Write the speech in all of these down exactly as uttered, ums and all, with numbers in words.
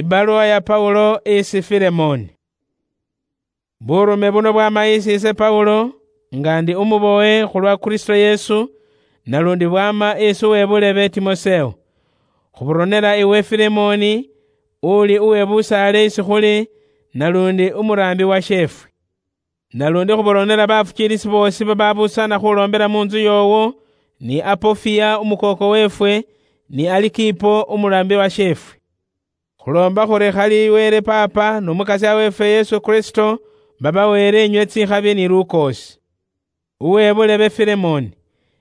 Ibaluwa ya Paulo isi Filemoni. Burume buno bwama isi ise Paulo, nga ndi umubowe khulwa Kristo Yesu, nalundi bwama isi uwebulebe Timoseo. Khuburonera iwe Filemoni, uli uwebusaale isi khuli, nalundi umuraambi wa sheefwe. Nalundi khuboronera bafukiilisi boosi bababusana khuloombera mu ntsu yoowo, ni Apofia umukooko weefwe, ni Alikipo umuraambi wa sheefwe. Khuloomba khuri khali Wele Paapa n'Omukasya weefwe Yesu Kristo babaweere inywe tsikhabi ni lukoosi. Uwe bulebe Filemoni,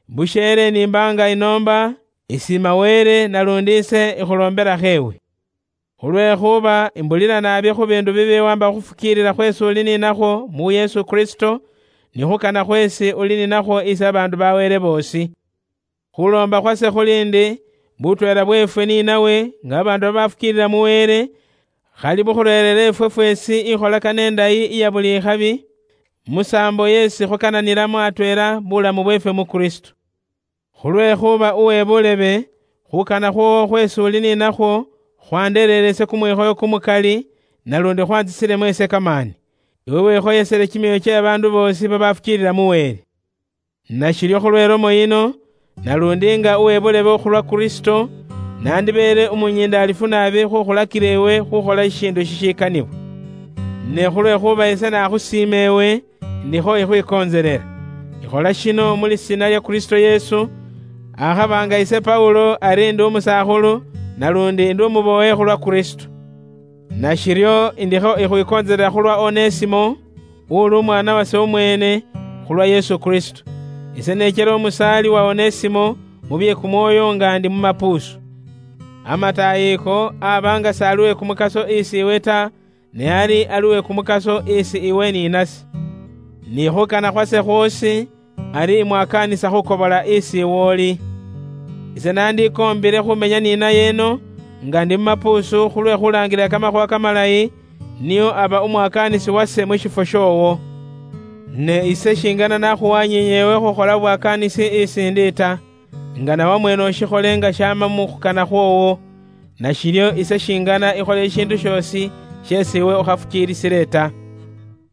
busheele nimbaanga inoomba, isiima Wele nalundi ise ikhulomberakho ewe. Khulwekhuba imbulira naabi khu biindu bibi wamba khufukiilila khweesi uli ninakhwo mu Yesu Kristo, ni khukana khweesi uli ninakhwo isi abaandu ba Wele boosi. Khuloomba khwase khuli ndi, butweela bweefwe ni nawe, nga babaandu babafukiilila mu Wele, khali bukhureerere ifwe fweesi ikholakana indayi iya buli ikhabi, musaambo yeesi khukananilamo atweela bulamu bweefwe mu Kristo. Khulwekhuba uwe bulebe, khukana khwoowo khweesi uli ninakhwo, khwandereerese kumwikhoyo kumukali, nalundi khwantsisilemo ise kamaani, iwe wikhoyesele kimyoyo kye babaandu boosi babafukiilila mu Wele. Nashiryo khulwe lomo yino, nalundi nga uwe bulebe okhulwa Kristo, nandibeele umunyiindaalifu naabi khukhulakila ewe khukhola shishiindu shishikanibwa. Ne khulwekhuba ise nakhusiima ewe, ndikho ikhwikontselela. Ikhola shino mu lisiina lya Kristo Yesu, akhaba nga ise Paulo ari ndi umusakhulu, nalundi ndi umubowe khulwa Kristo. Nashiryo indikho ikhwikontselela khulwa Onesimo, uli umwaana wase umweene, khulwa Yesu Kristo. Ise neechela omusaali wa Onesimo mu bye kumwoyo nga ndi mu mapuusu. Amataayi ako aba nga s'ali we kumukaso isi iwe ta, ne ali ali we kumukaso isi iwe ni nase. Ni khukana khwase khwoosi, ari imwakaanisa khukobola isi iwe oli. Ise nandikoombile khumenya ni naye eno, nga ndi mu mapuusu khulwe khulaangilila kamakhuuwa kamalayi, niyo aba umwakaanisi wase mu shifwo shoowo. Ne ise shingana nakhuwanyiinye ewe khukhola bwakaanisi isi ndi ta, nga nawe mwene ushikhole nga shaama mu khukana khwoowo, nashiryo ise shingana ikhole ishiindu shoosi sheesi iwe ukhafukiilisile ta.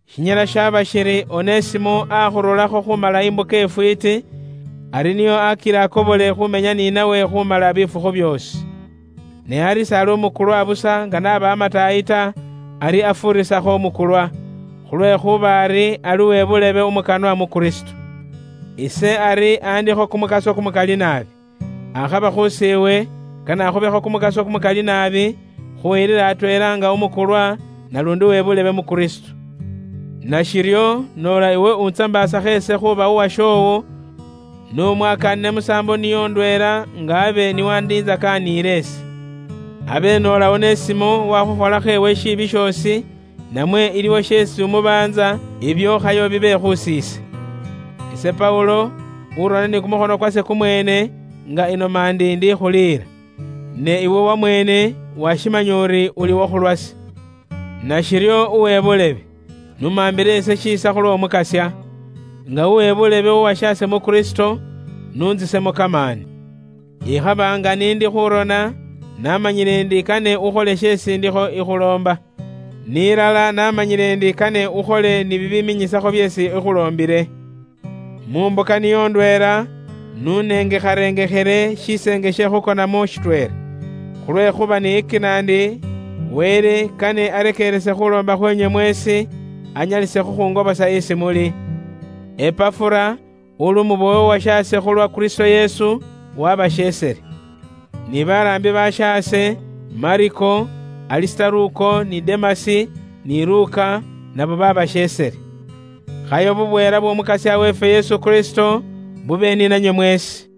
Shinyala shaba shiri Onesimo akhurulakho khumala imbuka ifwiiti, ari niyo akila akobole khumenya ni nawe khumala bifukhu byoosi. Ne ari s'ali umukulwa busa nga naba amataayi ta, ari afuurisakho umukulwa, khulwekhuba ari ali uwe bulebe umukanwa mu Kristo. Ise ari andikho kumukaso kumukali naabi. Akhaba khusiiwe, kanakhubekho kumukaso kumukali naabi, khuyilila atweela nga umukulwa, nalundi uwe bulebe mu Kristo. Nashiryo, noola iwe untsambaasakho ese khuba uwashoowo, n'umwakaanile musaambo niyo ndweela nga abe niwandiinzakaaniile ese. Abe noola Onesimo wakhukholakho ewe shiibi shoosi, namwe iliwo sheesi umubaanza, ibyo khayo bibe khusiise. Ise Paulo, urona ni kumukhono kwase kumweene, nga inoma ndi ndikhuliira. Ne iwe wamweene washimanya uri uli wokhulwase. Nashiryo uwe bulebe, numambile ise shiisa khulw'Omukasya, nga uwe bulebe uwashaase mu Kristo, nuntsisemo kamaani. Ikhaba nga nindi khurona, namanyile ndi kane ukhole sheesi ndikho ikhuloomba. Nilala namanyile ndi kane ukhole ni bibiminyisakho byeesi ikhuloombile. Mu mbuka niyo ndweela, nunengekharengekhele shiseenge she khukonamo shitweela. Khulwekhuba niyikina ndi, Wele kane arekeerese khuloomba khwenywe mweesi, anyalise khukhungobosa isi muli. Epafura, uli umubowe uwashaase khulwa Kristo Yesu, wabasheesele. Ni baraambi bashaase, Mariko, Alisitaruko, ni Demasi, ni Luka, nabo babasheesele. Khayo bubweela bw'Omukasya weefwe Yesu Kristo bube ni nanywe mweesi.